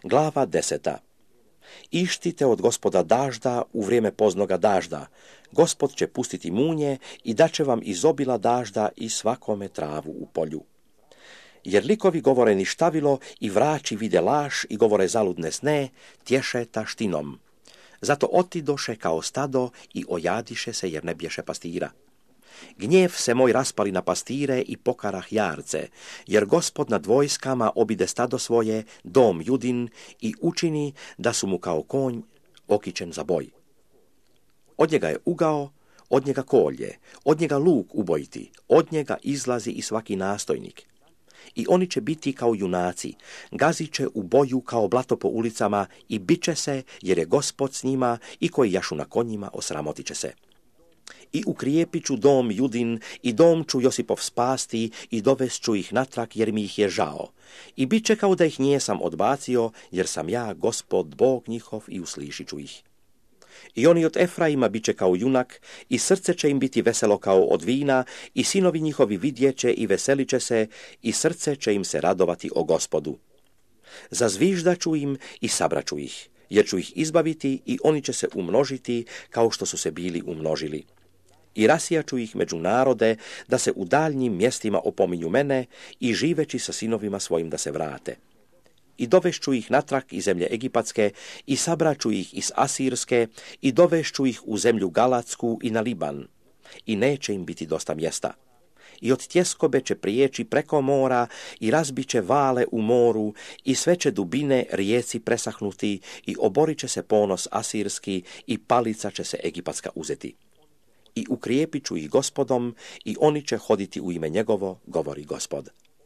Glava 10. Ištite od Gospoda dažda u vrijeme poznoga dažda. Gospod će pustiti munje i daće vam izobila dažda i svakome travu u polju. Jer likovi govore ništavilo i vrači vide laž i govore zaludne sne, tješe taštinom. Zato otidoše kao stado i ojadiše se jer ne bješe pastira. Gnjev se moj raspali na pastire i pokarah jarce, jer Gospod nad vojskama obide stado svoje, dom Judin, i učini da su mu kao konj okićen za boj. Od njega je ugao, od njega kolje, od njega luk ubojiti, od njega izlazi i svaki nastojnik. I oni će biti kao junaci, gazit će u boju kao blato po ulicama i bit će se, jer je Gospod s njima, i koji jašu na konjima osramotit će se. I ukrijepit ću dom Judin i dom ću Josipov spasti i dovest ću ih natrag jer mi ih je žao. I bit će kao da ih nijesam odbacio, jer sam ja Gospod Bog njihov i uslišit ću ih. I oni od Efraima bit će kao junak i srce će im biti veselo kao od vina i sinovi njihovi vidjet će i veselit će se i srce će im se radovati o Gospodu. Zazviždat ću im i sabraću ih, jer ću ih izbaviti i oni će se umnožiti kao što su se bili umnožili. I rasijaću ih među narode, da se u daljnjim mjestima opominju mene i živeći sa sinovima svojim da se vrate. I dovešću ih natrag iz zemlje Egipatske i sabraću ih iz Asirske i dovešću ih u zemlju Galatsku i na Liban. I neće im biti dosta mjesta. I od tjeskobe će prijeći preko mora i razbit će vale u moru i sve će dubine rijeci presahnuti i oborit će se ponos asirski i palica će se egipatska uzeti. I ukrijepit ću ih Gospodom i oni će hoditi u ime njegovo, govori Gospod.